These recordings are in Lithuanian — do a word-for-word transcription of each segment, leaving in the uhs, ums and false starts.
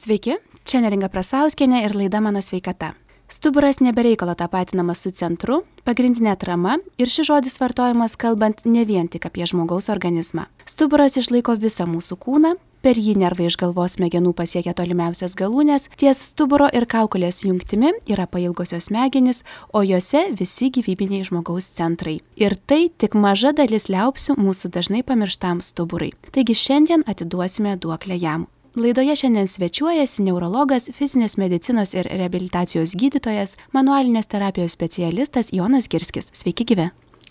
Sveiki, čia Neringa Prasauskienė ir laida Mano sveikata. Stuburas nebereikalo tapatinamas su centru, pagrindinė atrama ir šis žodis vartojamas kalbant ne vien tik apie žmogaus organizmą. Stuburas išlaiko visą mūsų kūną, per jį nervai iš galvos smegenų pasiekia tolimiausias galūnės, ties stuburo ir kaukolės jungtimi yra pailgosios smegenys, o juose visi gyvybiniai žmogaus centrai. Ir tai tik maža dalis liaupsių mūsų dažnai pamirštam stuburui. Taigi šiandien atiduosime duoklę jam. Laidoje šiandien svečiuojasi neurologas, fizinės medicinos ir reabilitacijos gydytojas, manualinės terapijos specialistas Jonas Girskis. Sveiki gyvi.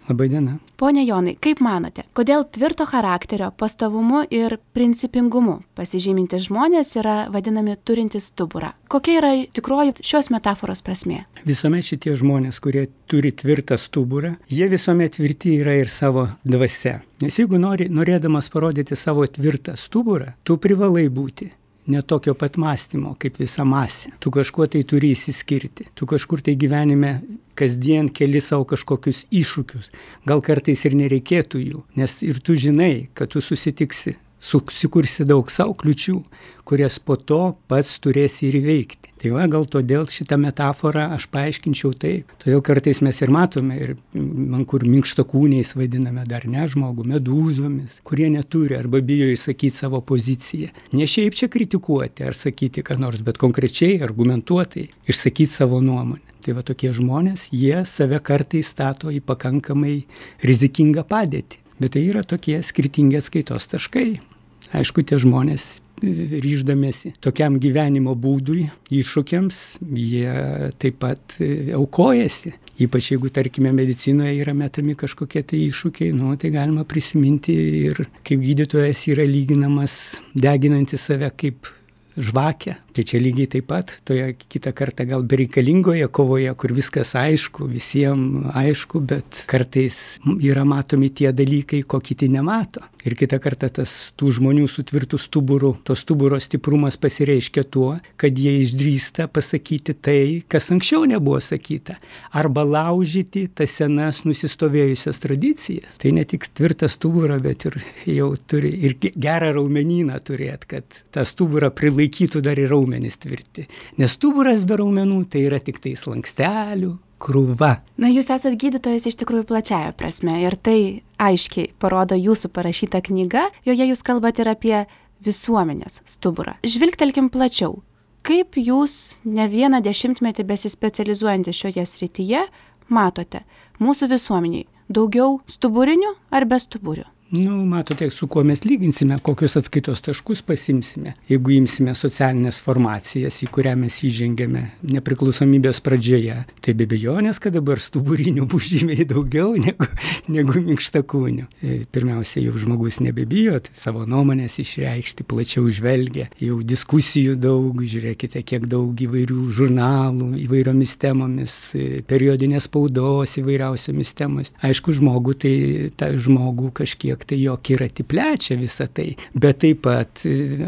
Labai diena. Pone Jonai, kaip manote, kodėl tvirto charakterio, pastovumu ir principingumu pasižymintys žmonės yra vadinami turintys stuburą? Kokia yra tikroji šios metaforos prasmė? Visuomet šitie žmonės, kurie turi tvirtą stuburą, jie visuomet tvirti yra ir savo dvasia. Nes jeigu nori, norėdamas parodyti savo tvirtą stuburą, tu privalai būti ne tokio pat mąstymo kaip visa masė. Tu kažkuo tai turi įsiskirti. Tu kažkur tai gyvenime kasdien keli savo kažkokius iššūkius. Gal kartais ir nereikėtų jų, nes ir tu žinai, kad tu susitiksi, susikursi daug savo kliučių, kurias po to pats turėsi ir įveikti. Tai va, gal todėl šitą metaforą aš paaiškinčiau taip. Todėl kartais mes ir matome, ir man kur minkštakūniais vadiname dar ne žmogų, medūzomis, kurie neturi arba bijo išsakyti savo poziciją. Ne šiaip čia kritikuoti ar sakyti ką nors, bet konkrečiai, argumentuotai išsakyti savo nuomonę. Tai va tokie žmonės, jie save kartais stato į pakankamai rizikingą padėtį. Bet tai yra tokie skirtingi atskaitos taškai. Aišku, tie žmonės ryždamėsi tokiam gyvenimo būdui, iššūkiams, jie taip pat aukojasi. Ypač jeigu, tarkime, medicinoje yra metami kažkokie tai iššūkiai, nu, tai galima prisiminti ir kaip gydytojas yra lyginamas deginantis save kaip žvakę. Tai čia lygiai taip pat, toje kitą kartą gal bereikalingoje kovoje, kur viskas aišku, visiems aišku, bet kartais yra matomi tie dalykai, ko kiti nemato. Ir kitą kartą tas tų žmonių su tvirtu stuburu, to stuburo stiprumas pasireiškia tuo, kad jie išdrįsta pasakyti tai, kas anksčiau nebuvo sakyta, arba laužyti tas senas nusistovėjusias tradicijas. Tai ne tik tvirtą stuburą, bet ir jau turi ir gerą raumenyną turėti, kad tą stuburą prilaikytų dar ir raumenys tvirti. Nes stuburas be raumenų tai yra tik tai slankstelių krūva. Na, jūs esat gydytojas iš tikrųjų plačiaja prasme ir tai aiškiai parodo jūsų parašyta knyga, joje jūs kalbate ir apie visuomenės stuburą. Žvilgtelkim plačiau. Kaip jūs ne vieną dešimtmetį besispecializuojantys šioje srityje matote mūsų visuomeniai daugiau stuburinių ar be stuburių? Nu, matote, su kuo mes lyginsime, kokius atskaitos taškus pasimsime. Jeigu imsime socialinės formacijas, į kurią mes įžengėme nepriklausomybės pradžioje, tai be abejonės, kad dabar stuburinių bus žymiai daugiau negu, negu minkštakūnių. Pirmiausia, jau žmogus nebebijo, tai savo nuomonės išreikšti, plačiau žvelgia, jau diskusijų daug, žiūrėkite, kiek daug įvairių žurnalų, įvairiomis temomis, periodinės spaudos įvairiausiomis temomis. Aišku, žmogų, tai tą žmogų kažkiek tai jo kiratį plečia visą tai, bet taip pat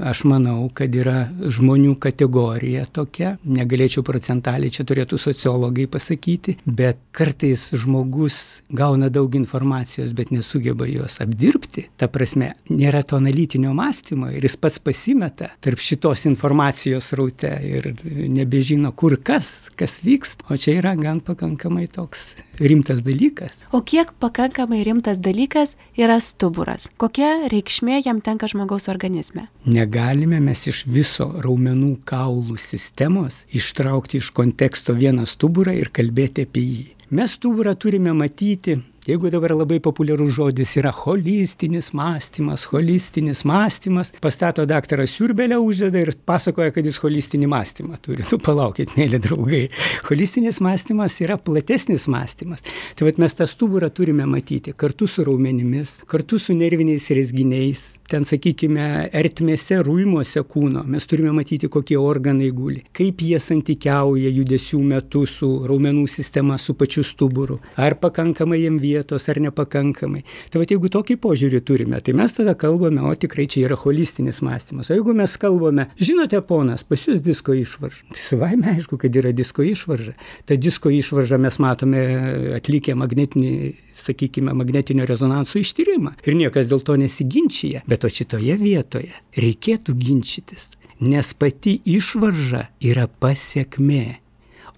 aš manau, kad yra žmonių kategorija tokia, negalėčiau procentaliai, čia turėtų sociologai pasakyti, bet kartais žmogus gauna daug informacijos, bet nesugeba jos apdirbti, ta prasme, nėra to analitinio mąstymo ir jis pats pasimeta tarp šitos informacijos sraute ir nebežino, kur kas, kas vyksta, o čia yra gan pakankamai toks rimtas dalykas. O kiek pakankamai rimtas dalykas yra stuburas? Kokia reikšmė jam tenka žmogaus organizme? Negalime mes iš viso raumenų kaulų sistemos ištraukti iš konteksto vieną stuburą ir kalbėti apie jį. Mes stuburą turime matyti, jeigu dabar labai populiarus žodis yra holistinis mąstymas, holistinis mąstymas, pastato daktarą Siurbelę uždeda ir pasakoja, kad jis holistinį mąstymą turi. Nu, palaukit, mėly draugai. Holistinis mąstymas yra platesnis mąstymas. Tai vat mes tą stuburą turime matyti kartu su raumenimis, kartu su nerviniais rezginiais, ten, sakykime, ertmėse, rūimuose kūno. Mes turime matyti, kokie organai guli, kaip jie santykiauja judesių metu su raumenų sistema, su pačiu stuburu. Ar pakankamai jiem vietos, ar nepakankamai. Tai va, jeigu tokį požiūrį turime, tai mes tada kalbame, o tikrai čia yra holistinis mąstymas. O jeigu mes kalbame, žinote, ponas, pas jūs disko išvarža. Tai savaime aišku, kad yra disko išvarža. Ta disko išvarža mes matome atlikę magnetinį, sakykime, magnetinio rezonanso ištyrimą. Ir niekas dėl to nesiginčia. Bet o šitoje vietoje reikėtų ginčytis. nes pati išvarža yra pasiekmė.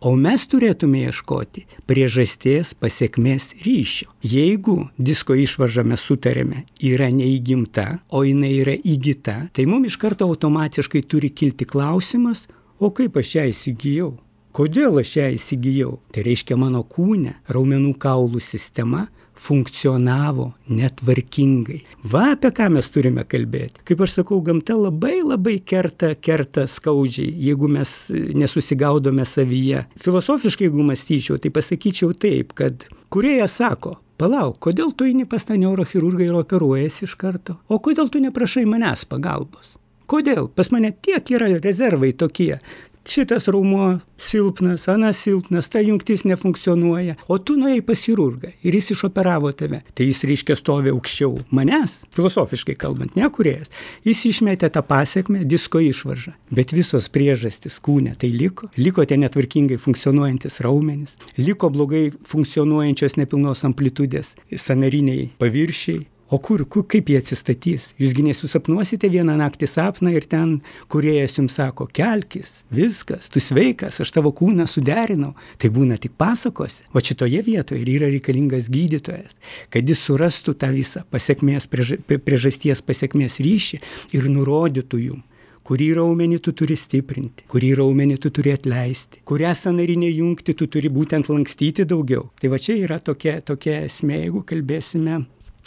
O mes turėtume ieškoti priežasties pasiekmės ryšio. Jeigu disko išvarža mes sutarėme yra neįgimta, o jinai yra įgyta, tai mums iš karto automatiškai turi kilti klausimas, o kaip aš ją įsigijau? Kodėl aš ją įsigijau? Tai reiškia, mano kūne raumenų kaulų sistema funkcionavo netvarkingai. Va apie ką mes turime kalbėti. Kaip aš sakau, gamta labai labai kerta, kerta skaudžiai, jeigu mes nesusigaudome savyje. Filosofiškai, jeigu mąstyčiau, tai pasakyčiau taip, kad kūrėjas sako, palauk, kodėl tu eini pas tą neurochirurgą ir operuojasi iš karto? O kodėl tu neprašai manęs pagalbos? Kodėl? Pas mane tiek yra rezervai tokie. Šitas raumuo silpnas, anas silpnas, ta jungtis nefunkcionuoja, o tu nuėjai pas chirurgą ir jis išoperavo tave. Tai jis reiškia stovi aukščiau manęs, filosofiškai kalbant, ne kūrėjas. Jis išmetė tą pasiekmę, disko išvaržą. Bet visos priežastys kūne tai liko. Liko tie netvarkingai funkcionuojantis raumenys, liko blogai funkcionuojančios nepilnos amplitudės sąnariniai paviršiai. O kur, kur, kaip jie atsistatys? Jūsgi nesusapnuosite vieną naktį sapną ir ten kūrėjas jums sako, kelkis, viskas, tu sveikas, aš tavo kūną suderinau. Tai būna tik pasakose. O šitoje vietoje ir yra reikalingas gydytojas, kad jis surastų tą visą pasiekmės, priežasties pasiekmės ryšį ir nurodytų jum, kurį raumenį tu turi stiprinti, kurį raumenį tu turi atleisti, kurią sąnarinę jungtį tu turi būtent lankstyti daugiau. Tai va čia yra tokia, tokia esmė, jeigu kalbėsime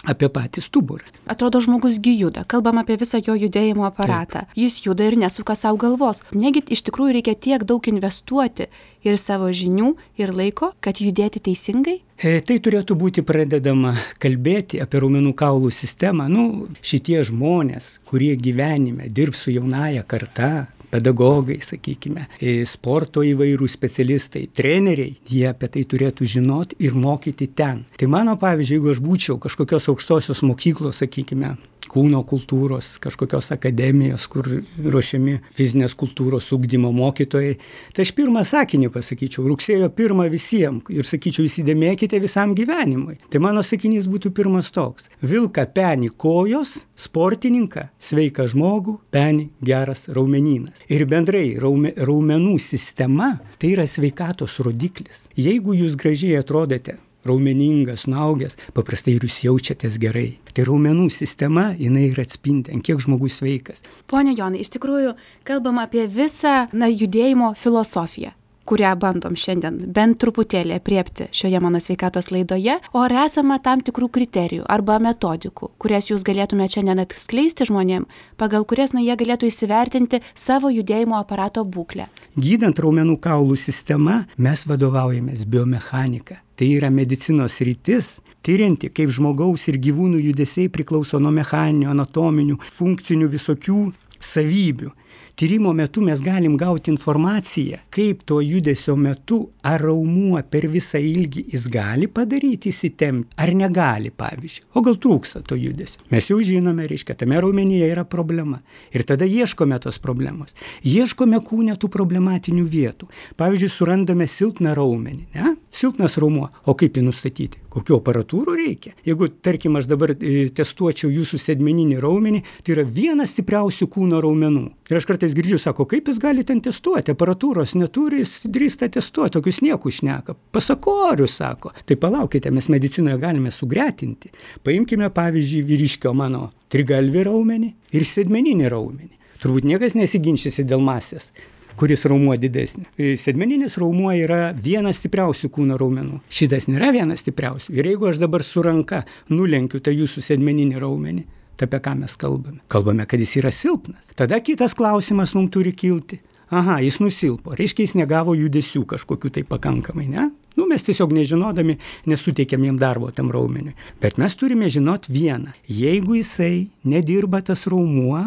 apie patį stuburą. Atrodo, žmogus gi juda. Kalbam apie visą jo judėjimo aparatą. Taip. Jis juda ir nesuka savo galvos. Negi iš tikrųjų reikia tiek daug investuoti ir savo žinių, ir laiko, kad judėti teisingai? E, tai turėtų būti pradedama kalbėti apie raumenų kaulų sistemą. Nu, šitie žmonės, kurie gyvenime dirbs su jaunaja karta, pedagogai, sakykime, sporto įvairių specialistai, treneriai, jie apie tai turėtų žinoti ir mokyti ten. Tai mano pavyzdžiui, jeigu aš būčiau kažkokios aukštosios mokyklos, sakykime, kūno kultūros, kažkokios akademijos, kur ruošiami fizinės kultūros ugdymo mokytojai, tai aš pirmą sakinį pasakyčiau, rugsėjo pirmą visiems ir sakyčiau, įsidėmėkite visam gyvenimui. Tai mano sakinys būtų pirmas toks. Vilką penį kojos, sportininką, sveiką žmogų, penį geras raumenynas. Ir bendrai raume, raumenų sistema tai yra sveikatos rodiklis. Jeigu jūs gražiai atrodote, raumeningas, suaugęs, paprastai ir jūs jaučiatės gerai. Tai raumenų sistema, jinai ir atspindi, ant kiek žmogus sveikas. Pone Jonai, iš tikrųjų kalbam apie visą na, judėjimo filosofiją, kurią bandom šiandien bent truputėlį apriepti šioje mano sveikatos laidoje, o ar esama tam tikrų kriterijų arba metodikų, kurias jūs galėtumėte šiandien atskleisti žmonėm, pagal kurias na, jie galėtų įsivertinti savo judėjimo aparato būklę. Gydant raumenų kaulų sistemą, mes vadovaujamės biomechanika. Tai yra medicinos sritis, tyrianti, kaip žmogaus ir gyvūnų judesiai priklauso nuo mechaninių, anatominių, funkcinių visokių savybių. Tyrimo metu mes galim gauti informaciją, kaip to judesio metu ar raumuo per visą ilgį jis gali padaryti įsitempti, ar negali, pavyzdžiui. O gal trūksta to judesio. Mes jau žinome, reiškia, tame raumenyje yra problema. Ir tada ieškome tos problemos. Ieškome kūne tų problematinių vietų. Pavyzdžiui, surandame silpną raumenį, ne? Silpnas raumuo. O kaip jį nustatyti? Kokių aparatūrų reikia? Jeigu, tarkim, aš dabar e, testuočiau jūsų sėdmeninį raumenį, tai yra vienas stipriausių kūno raumenų. Ir aš kartais girdžiu, sako, kaip jis gali ten testuoti? Aparatūros neturi, jis drįsta testuoti, tokius niekus šneka. Pasakorius, sako. Tai palaukite, mes medicinoje galime sugretinti. Paimkime, pavyzdžiui, vyriškio mano trigalvį raumenį ir sėdmeninį raumenį. Turbūt niekas nesiginčysi dėl masės, kuris raumuo didesnė. Sėdmeninis raumuo yra vienas stipriausių kūno raumenų. Šitas nėra vienas stipriausių. Ir jeigu aš dabar su ranka nulenkiu tą jūsų sėdmeninį raumenį, tai apie ką mes kalbame? Kalbame, kad jis yra silpnas. Tada kitas klausimas mums turi kilti. Aha, jis nusilpo. Reiškia, jis negavo judesių kažkokių tai pakankamai, ne? Nu, mes tiesiog nežinodami nesuteikėm jam darbo tam raumeniui. Bet mes turime žinot vieną. Jeigu jisai nedirba tas raumuo,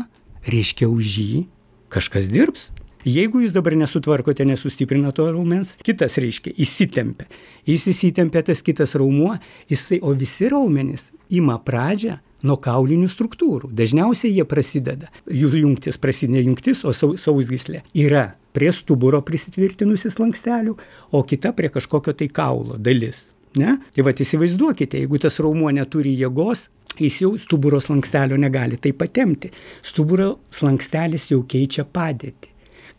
reiškia už jį kažkas dirbs. Jeigu jūs dabar nesutvarkote, nesustiprina to raumens, kitas reiškia, įsitempia. Jis įsitempia tas kitas raumuo, jisai, o visi raumenys ima pradžią nuo kaulinių struktūrų. Dažniausiai jie prasideda, jų jungtis prasideda jungtis, o sausgyslė yra prie stuburo prisitvirtinusi slankstelių, o kita prie kažkokio tai kaulo dalis. Ne? Tai va, įsivaizduokite, jeigu tas raumuo neturi jėgos, jis jau stuburo slankstelio negali taip patempti. Stuburo slankstelis jau keičia padėtį.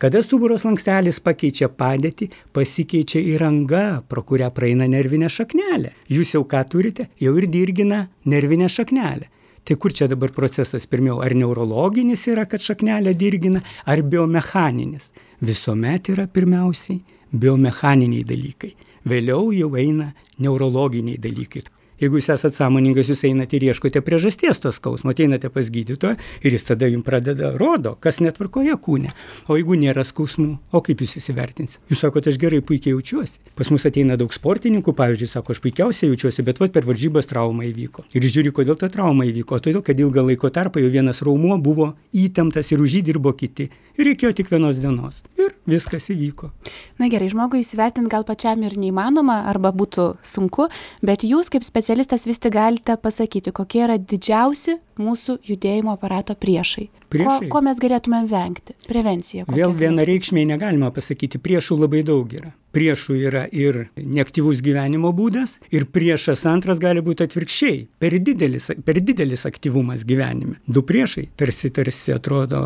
Kada stuburo slankstelis pakeičia padėtį, pasikeičia įranga, pro kurią praeina nervinė šaknelė. Jūs jau ką turite? Jau ir dirgina nervinę šaknelę. Tai kur čia dabar procesas pirmiau? Ar neurologinis yra, kad šaknelė dirgina, ar biomechaninis? Visuomet yra pirmiausiai biomechaniniai dalykai. Vėliau jau eina neurologiniai dalykai. Jeigu jūs esate sąmoningas, jūs einate ir ieškote priežasties to skausmo, ateinate pas gydytoją ir jis tada jums pradeda rodo, kas netvarkoje kūne. O jeigu nėra skausmų, o kaip jūs įsivertinsite? Jūs sakote, aš gerai puikiai jaučiuosi. Pas mus ateina daug sportininkų, pavyzdžiui, sako, aš puikiausiai jaučiuosi, bet vat per varžybas trauma įvyko. Ir žiūri, kodėl ta trauma įvyko. Todėl, kad ilgą laiko tarpą jau vienas raumuo buvo įtemptas ir už jį dirbo kiti. Ir reikėjo tik vienos dienos. Ir viskas įvyko. Na gerai, žmogui įsivertinti gal pačiam ir neįmanoma, arba būtų sunku, bet jūs kaip specialistas vis tik galite pasakyti, kokie yra didžiausi mūsų judėjimo aparato priešai. Priešai? Ko, ko mes galėtumėm vengti? Prevencija. Vėl vienareikšmiai negalima pasakyti, priešų labai daug yra. Priešų yra ir neaktyvus gyvenimo būdas, ir priešas antras gali būti atvirkščiai, per didelis, per didelis aktyvumas gyvenime. Du priešai, tarsi, tarsi atrodo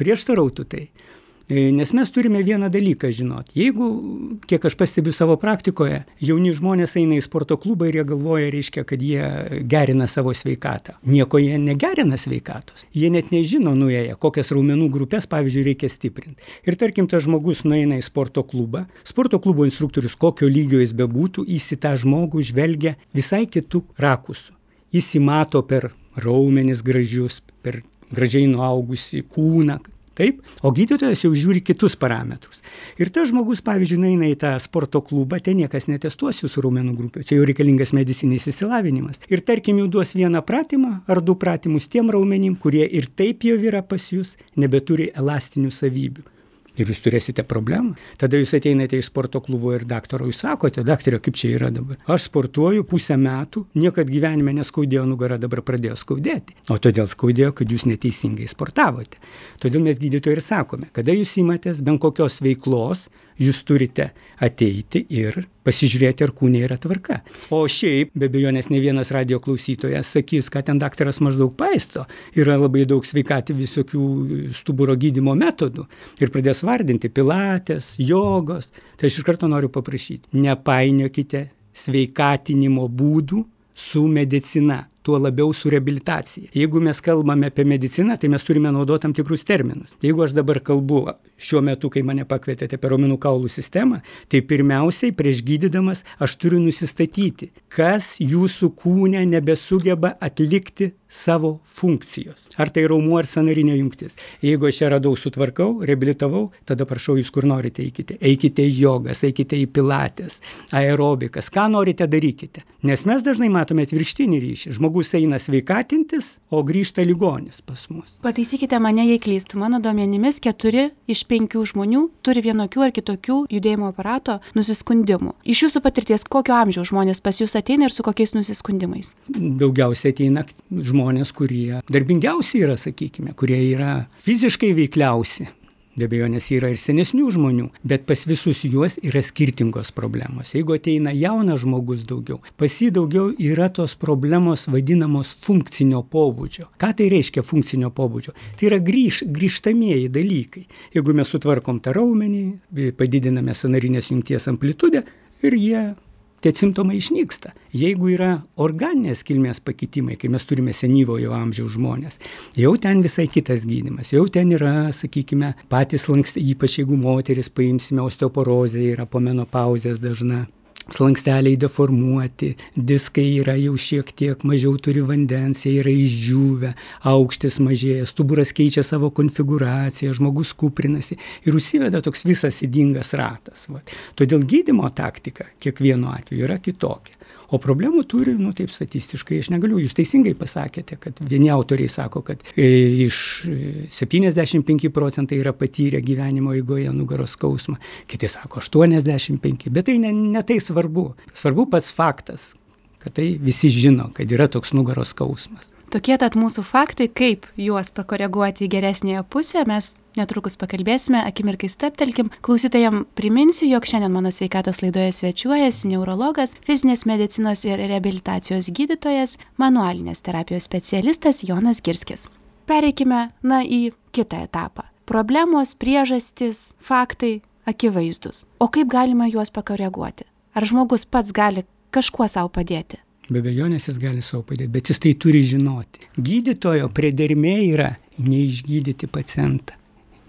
prieštarautų tai. Nes mes turime vieną dalyką žinoti. Jeigu, kiek aš pastebiu savo praktikoje, jauni žmonės eina į sporto klubą ir jie galvoja, reiškia, kad jie gerina savo sveikatą. Nieko jie negerina sveikatos. Jie net nežino nuėję, kokias raumenų grupės, pavyzdžiui, reikia stiprinti. Ir tarkim, tas žmogus nueina į sporto klubą. Sporto klubo instruktorius, kokio lygio jis bebūtų, jis į tą žmogų žvelgia visai kitų rakusų. Jis įmato per raumenis gražius, per gražiai nuaugusį kūną. Taip, o gydytojas jau žiūri kitus parametrus. Ir tas žmogus, pavyzdžiui, eina į tą sporto klubą, ten niekas netestuos jūsų raumenų grupę. Čia jau reikalingas medicininis išsilavinimas. Ir tarkim, jau duos vieną pratimą ar du pratimus tiem raumenim, kurie ir taip jau yra pas jūs, nebeturi elastinių savybių. Ir jūs turėsite problemą. Tada jūs ateinate iš sporto klubo ir daktaro, jūs sakote, daktarė, kaip čia yra dabar. Aš sportuoju pusę metų, niekad gyvenime neskaudėjo nugarą, dabar pradėjo skaudėti. O todėl skaudėjo, kad jūs neteisingai sportavote. Todėl mes gydytojai ir sakome, kada jūs imatės bent kokios veiklos, jūs turite ateiti ir pasižiūrėti, ar kūne yra tvarka. O šiaip, be abejonės, ne vienas radijo klausytojas sakys, kad ten daktaras maždaug paisto. Yra labai daug sveikatį visokių stuburo gydymo metodų. Ir pradės vardinti pilates, jogos. Tai aš iš karto noriu paprašyti, nepainiokite sveikatinimo būdų su medicina. Tuo labiau su reabilitacija. Jeigu mes kalbame apie mediciną, tai mes turime naudoti tam tikrus terminus. Jeigu aš dabar kalbu šiuo metu, kai mane pakvietėte apie raumenų kaulų sistemą, tai pirmiausiai prieš gydydamas aš turiu nusistatyti, kas jūsų kūne nebesugeba atlikti savo funkcijos. Ar tai raumuo ar sąnarinė jungtis. Jeigu aš ją radau, sutvarkau, reabilitavau, tada prašau jūs kur norite eikite. Eikite į jogas, eikite į pilates, aerobikas, ką norite darykite. Nes mes dažnai matome atvirkštinį ryšį. Žmogus eina sveikatintis, o grįžta ligonis pas mus. Pataisykite mane, jei klystu. Mano duomenimis keturi iš penkių žmonių turi vienokių ar kitokių judėjimo aparato nusiskundimų. Iš jūsų patirties, kokio amžiaus žmonės pas jūs ateina ir su kokiais nusiskundimais? Daugiausiai ateina žmonės, kurie darbingiausi yra, sakykime, kurie yra fiziškai veikliausi. Be abejonės yra ir senesnių žmonių, bet pas visus juos yra skirtingos problemos. Jeigu ateina jaunas žmogus daugiau, pas jį daugiau yra tos problemos vadinamos funkcinio pobūdžio. Ką tai reiškia funkcinio pobūdžio? Tai yra grįž, grįžtamieji dalykai. Jeigu mes sutvarkom tą raumenį, padidiname sąnarinės jungties amplitudę ir jie tie simptomai išnyksta. Jeigu yra organinės kilmės pakitimai, kai mes turime senyvojo amžiaus žmonės, jau ten visai kitas gydymas. Jau ten yra, sakykime, patys lanksti, ypač jeigu moteris paimsime osteoporozę, yra po menopauzės dažna. Slanksteliai deformuoti, diskai yra jau šiek tiek mažiau turi vandens, jie yra išdžiūvę, aukštis mažėja, stuburas keičia savo konfiguraciją, žmogus kuprinasi ir užsiveda toks visas ydingas ratas. Va. Todėl gydymo taktika kiekvienu atveju yra kitokia. O problemų turi, nu taip statistiškai, aš negaliu, jūs teisingai pasakėte, kad vieni autoriai sako, kad e, iš septyniasdešimt penki procentai yra patyrę gyvenimo eigoje nugaros skausmą, kiti sako aštuoniasdešimt penki, bet tai ne, ne tai svarbu. Svarbu pats faktas, kad tai visi žino, kad yra toks nugaros skausmas. Tokie tad mūsų faktai, kaip juos pakoreguoti į geresnėje pusę, mes netrukus pakalbėsime, akimirkai steptelkim. Klausytojam priminsiu, jog šiandien mano sveikatos laidoje svečiuojasi neurologas, fizinės medicinos ir reabilitacijos gydytojas, manualinės terapijos specialistas Jonas Girskis. Pereikime, na, į kitą etapą. Problemos, priežastys, faktai akivaizdus. O kaip galima juos pakoreguoti? Ar žmogus pats gali kažkuo savo padėti? Be abejonės jis gali savo padėti, bet jis tai turi žinoti. Gydytojo priedermė yra neišgydyti pacientą,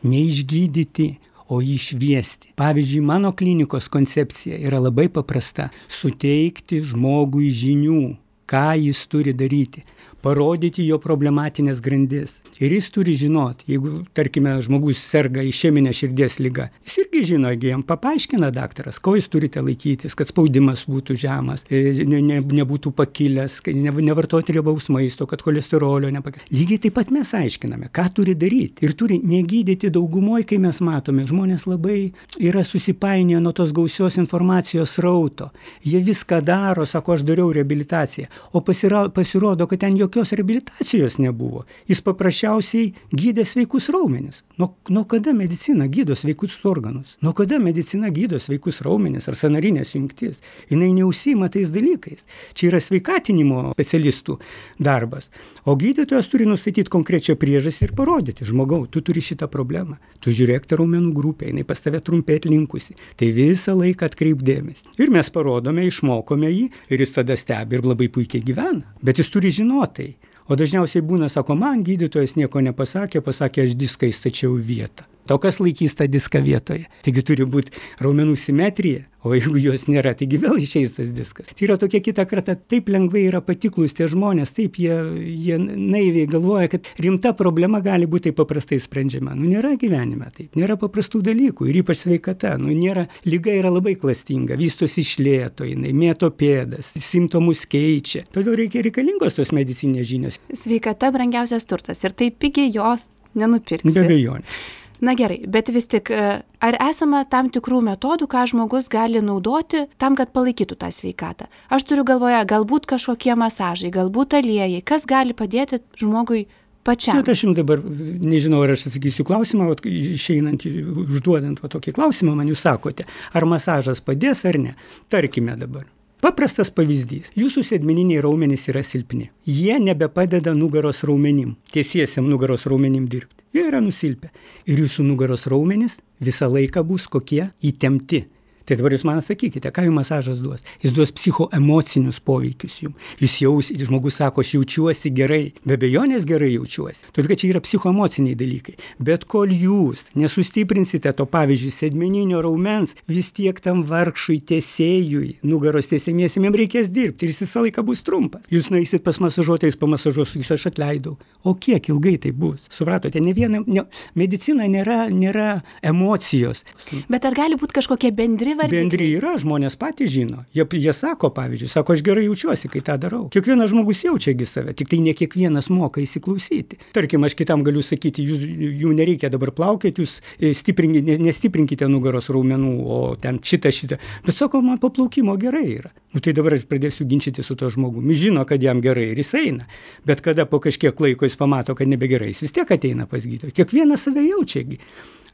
neišgydyti, o jį išviesti. Pavyzdžiui, mano klinikos koncepcija yra labai paprasta – suteikti žmogui žinių, ką jis turi daryti, parodyti jo problematinės grandis. Ir jis turi žinoti, jeigu, tarkime, žmogus serga išeminė širdies liga, jis irgi žino, jeigu jam paaiškina daktaras, ko jūs turite laikytis, kad spaudimas būtų žemas, ne, ne, nebūtų pakilęs, ne, nevartoti riebaus maisto, kad cholesterolio nepakilęs. Lygiai taip pat mes aiškiname, ką turi daryti. Ir turi negydyti daugumoje, kai mes matome, žmonės labai yra susipainioję nuo tos gausios informacijos srauto. Jie viską daro, sako, aš dariau reabilitaciją, o pasira, pasirodo, kad ten jokios reabilitacijos nebuvo. Jis paprasčiausiai gydė sveikus raumenis. Nuo, nuo kada medicina gydo sveikus organus? Nuo kada medicina gydo sveikus raumenis ar sąnarinės jungtis? Jinai neužsiima tais dalykais. Čia yra sveikatinimo specialistų darbas. O gydytojas turi nustatyti konkrečią priežastį ir parodyti, žmogau, tu turi šitą problemą. Tu žiūrėk tą raumenų grupę, jinai pas tave trumpėt linkusi. Tai visą laiką atkreip dėmesį. Ir mes parodome, išmokome jį ir jis tada stebi ir labai puikiai gyvena. Bet jis turi žinoti. O dažniausiai būna, sako, man gydytojas nieko nepasakė, pasakė, aš diską įstačiau vietą. O kas laikys tą diską vietoje? Taigi turi būti raumenų simetrija, o jeigu jos nėra, taigi vėl išeis tas diskas. Tai yra tokia kita karta, taip lengvai yra patiklus tie žmonės, taip jie, jie naiviai galvoja, kad rimta problema gali būti taip paprastai sprendžiama. Nu, nėra gyvenime taip, nėra paprastų dalykų ir ypač sveikata. Nu, nėra, lyga yra labai klastinga, vystosi iš lėto, jinai mėto pėdas, simptomus keičia. Todėl reikia reikalingos tos medicinės žinios. Sveikata brangiausias turtas ir taip pigiai jos nenupirksi. Be abejonės. Na gerai, bet vis tik, ar esama tam tikrų metodų, ką žmogus gali naudoti tam, kad palaikytų tą sveikatą? Aš turiu galvoje, galbūt kažkokie masažai, galbūt aliejai, kas gali padėti žmogui pačiam? Bet aš jums dabar nežinau, ar aš atsakysiu klausimą, vat, išeinant, užduodant va, tokį klausimą, man jūs sakote, ar masažas padės ar ne. Tarkime dabar. Paprastas pavyzdys. Jūsų sėdmeniniai raumenys yra silpni. Jie nebepadeda nugaros raumenim, tiesiesiam nugaros raumenim dirbti. Jie yra nusilpę. Ir jūsų nugaros raumenys visą laiką bus kokie įtempti. Tai dabar jūs man atsakykite, ką jums masažas duos? Jis duos psichoemocinius poveikius jums. Jūs jausite, žmogus sako, aš jaučiuosi gerai. Be abejonės gerai jaučiuosi. Todėl, kad čia yra psichoemociniai dalykai. Bet kol jūs nesustiprinsite to, pavyzdžiui, sėdmeninio raumens, vis tiek tam vargšui tiesėjui, nugaros tiesėmiesiam, jam reikės dirbti ir jis visą laiką bus trumpas. Jūs nueisit pas masažuotojus, pamasažuos, jūs aš atleidau. O kiek ilgai tai bus? Supratote, ne viena, ne, medicina nėra, nėra emocijos. Bet ar gali būti kažkokie bendri Bendri yra, žmonės patys žino. Jie, jie sako, pavyzdžiui, sako, aš gerai jaučiuosi, kai tą darau. Kiekvienas žmogus jaučiagi save, tik tai ne kiekvienas moka įsiklausyti. Tarkim, aš kitam galiu sakyti, jūs, jų nereikia dabar plaukėti, jūs stiprinkite, nestiprinkite nugaros raumenų, o ten šitą, šitą. Bet sako, man po plaukimo gerai yra. Nu tai dabar aš pradėsiu ginčyti su to žmogumi. Žino, kad jam gerai ir jis eina. Bet kada po kažkiek laiko jis pamato, kad nebegerai, jis vis tiek ateina pas gydytoją. Kiekvienas save jaučiagi.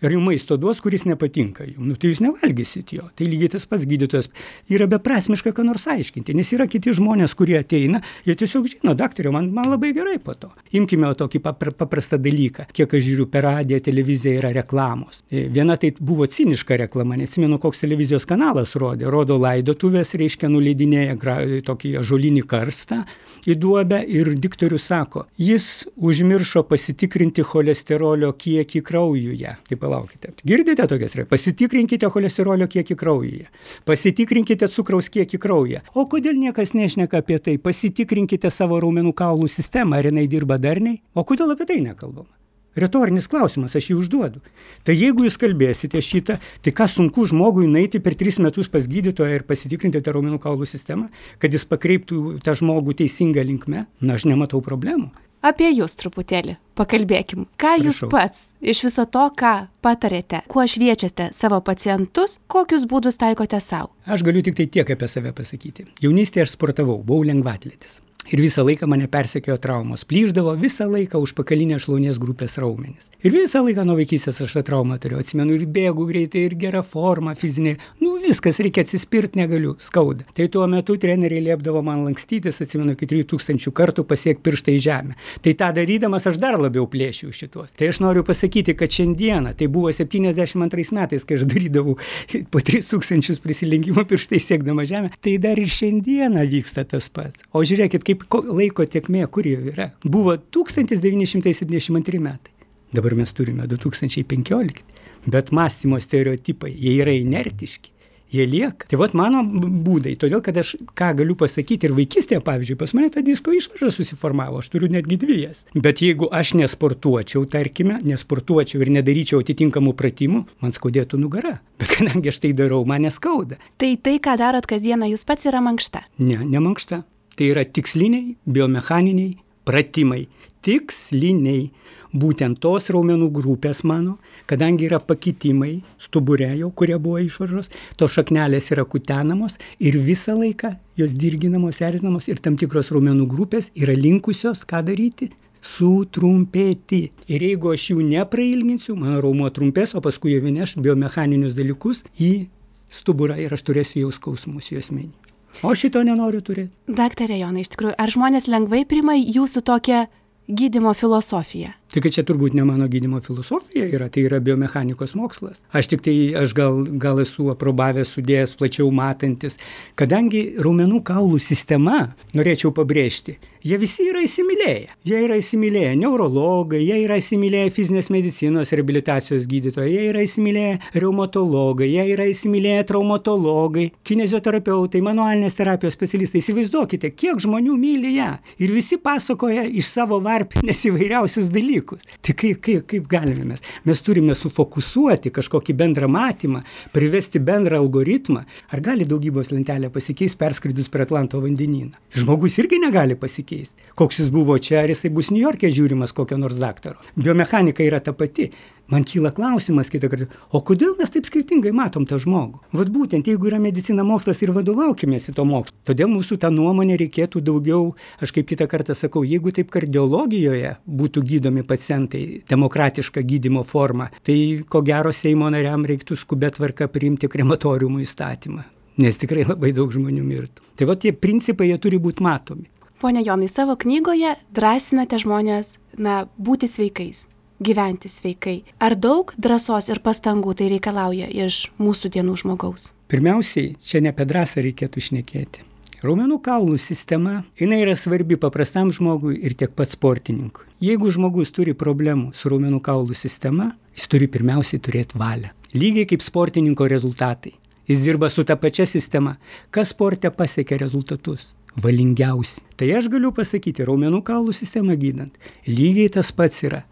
Ar jums maisto duos, kuris nepatinka jums, nu, tai jūs nevalgysit jo. Tai lygiai tas pats gydytojas yra beprasmiška, ką nors aiškinti, nes yra kiti žmonės, kurie ateina, jie tiesiog žino, daktarė, man, man labai gerai po to. Imkime tokį paprastą dalyką, kiek aš žiūriu per radiją, televiziją yra reklamos. Viena tai buvo ciniška reklama, neatsimenu, koks televizijos kanalas rodė, rodo laidotuvės, reiškia nuleidinėja tokį ąžuolinį karstą į duobę ir diktorius sako, jis užmiršo pasitikrinti cholesterolio kiekį kraujuje. Taip, palaukite. Girdite tokias? Pasitikrinkite cholesterolio kiekį kraujyje. Pasitikrinkite cukraus kiekį kraujyje. O kodėl niekas nešneka apie tai? Pasitikrinkite savo raumenų kaulų sistemą, ar jinai dirba darniai? O kodėl apie tai nekalbama? Retorinis klausimas, aš jį užduodu. Tai jeigu jūs kalbėsite šitą, tai ką sunku žmogui nueiti per tris metus pas gydytoją ir pasitikrinti tą raumenų kaulų sistemą, kad jis pakreiptų tą žmogų teisingą linkme? Na, aš nematau problemų. Apie jūs truputėlį pakalbėkim. Ką jūs Prašau. pats iš viso to, ką patarėte, kuo šviečiate savo pacientus, kokius būdus taikote savo? Aš galiu tik tai tiek apie save pasakyti. Jaunystėje aš sportavau, buvau lengvatletis. Ir visą laiką mane persekiojo traumos. Plyšdavo visą laiką užpakalinės šlaunies grupės raumenys. Ir visą laiką nuo vaikystės aš tą traumą turėjau. Atsimenu, ir bėgu greitai, ir gera forma fizinė. Nu, viskas, reikia atsispirti, negaliu, skauda. Tai tuo metu treneriai liepdavo man lankstytis, atsimenu, iki trijų tūkstančių kartų pasiekti pirštą į žemę. Tai tą darydamas aš dar labiau plėšiu šitos. Tai aš noriu pasakyti, kad šiandieną, tai buvo septyniasdešimt antrais metais, kai aš darydavau po tris tūkstančius prisilenkimo pirštai siekdama žemę, tai dar ir šiandieną vyksta tas pats. O žiūrėkit, kaip laiko tėkmė, kur jau yra. Buvo tūkstantis devyni šimtai septyniasdešimt antri metai. Dabar mes turime du tūkstančiai penkiolikti. Bet mąstymo stereotipai, jie yra inertiški. Jie lieka. Tai vat mano būdai. Todėl, kad aš ką galiu pasakyti ir vaikystėje, pavyzdžiui, pas mane ta disko išvarža susiformavo. Aš turiu netgi dvijas. Bet jeigu aš nesportuočiau, tarkime, nesportuočiau ir nedaryčiau atitinkamų pratimų, man skaudėtų nugara. Bet kadangi aš tai darau, man neskauda. Tai tai, ką darot kasdieną, jūs pats yra mankšta? Ne, ne mankšta. Tai yra tiksliniai, biomechaniniai pratimai. Tiksliniai. Būtent tos raumenų grupės mano, kadangi yra pakitimai stubure jau, kurie buvo išvaržos, tos šaknelės yra kutenamos ir visą laiką jos dirginamos, erzinamos ir tam tikros raumenų grupės yra linkusios, ką daryti? Sutrumpėti. Ir jeigu aš jų neprailginsiu, mano raumuo trumpės, o paskui jau neš biomechaninius dalykus į stuburą ir aš turėsiu jau skausmus juosmenį. O šito nenoriu turėti. Daktare Jonai, iš tikrųjų, ar žmonės lengvai priima jūsų tokią gydymo filosofiją? Tai kad čia turbūt ne mano gydymo filosofija yra, tai yra biomechanikos mokslas. Aš tik tai, aš gal, gal esu aprobavęs, sudėjęs, plačiau matantis, kadangi raumenų kaulų sistema, norėčiau pabrėžti, jie visi yra įsimylėję. Jie yra įsimylėję neurologai, jie yra įsimylėję fizinės medicinos reabilitacijos gydytojai, jie yra įsimylėję reumatologai, jie yra įsimylėję traumatologai, kinezioterapeutai, manualinės terapijos specialistai. Įsivaizduokite, kiek žmonių myli ją. Ir visi pasakoja iš savo varpinės įvairiausius dalykus. Tai kaip, kaip, kaip galime mes? Mes turime sufokusuoti kažkokį bendrą matymą, privesti bendrą algoritmą. Ar gali daugybos lentelė pasikeisti perskridus per Atlanto vandenyną? Žmogus irgi negali pasikeisti. Koks jis buvo čia, ar jisai bus Niujorke žiūrimas kokio nors daktaro. Biomechanika yra ta pati. Man kyla klausimas kitą kartą, o kodėl mes taip skirtingai matom tą žmogų? Vat būtent, jeigu yra medicina mokslas ir vadovaukimės į to mokslo. Todėl mūsų tą nuomonę reikėtų daugiau, aš kaip kitą kartą sakau, jeigu taip kardiologijoje būtų gydomi pacientai demokratiška gydymo forma, tai ko gero Seimo nariam reiktų skubia tvarka priimti krematoriumų įstatymą, nes tikrai labai daug žmonių mirtų. Tai va tie principai, jie turi būti matomi. Pone Jonai, savo knygoje drąsinate žmonės, na, būti sveikais. Gyventi sveikai. Ar daug drąsos ir pastangų tai reikalauja iš mūsų dienų žmogaus? Pirmiausiai, čia ne apie drąsą reikėtų šnekėti. Raumenų kaulų sistema, jinai yra svarbi paprastam žmogui ir tiek pat sportininkui. Jeigu žmogus turi problemų su raumenų kaulų sistema, jis turi pirmiausiai turėti valią. Lygiai kaip sportininko rezultatai. Jis dirba su ta pačia sistema. Kas sporte pasiekia rezultatus? Valingiausi. Tai aš galiu pasakyti, raumenų kaulų sistemą gydant, lygiai tas pats yra.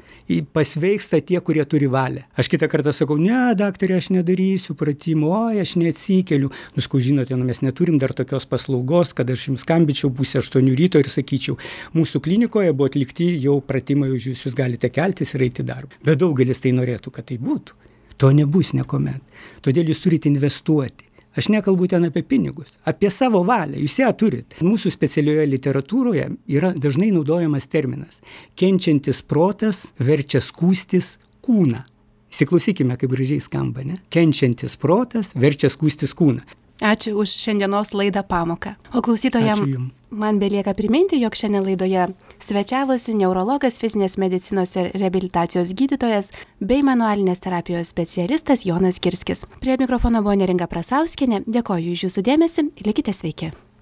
Pasveiksta tie, kurie turi valią. Aš kitą kartą sakau, ne, daktarė, aš nedarysiu pratimų, oi, aš neatsikeliu. Nuskau, žinote, nu, mes neturim dar tokios paslaugos, kad aš jums skambinčiau pusę aštuonių ryto ir sakyčiau, mūsų klinikoje buvo atlikti jau pratimai už jūs, jūs galite keltis ir eiti darbą. Bet daugelis tai norėtų, kad tai būtų. To nebus niekuomet. Todėl jūs turite investuoti. Aš nekalbu ten apie pinigus, apie savo valią, jūs ją turit. Mūsų specialioje literatūroje yra dažnai naudojamas terminas. Kenčiantis protas verčia skųstis kūną. Įsiklausykime, kaip gražiai skamba, ne? Kenčiantis protas verčia skųstis kūną. Ačiū už šiandienos laidą pamoką. O klausytojams man belieka priminti, jog šiandien laidoje svečiavosi neurologas, fizinės medicinos ir reabilitacijos gydytojas bei manualinės terapijos specialistas Jonas Girskis. Prie mikrofono buvo Neringa Prasauskienė. Dėkoju už jūsų dėmesį. Likite sveiki.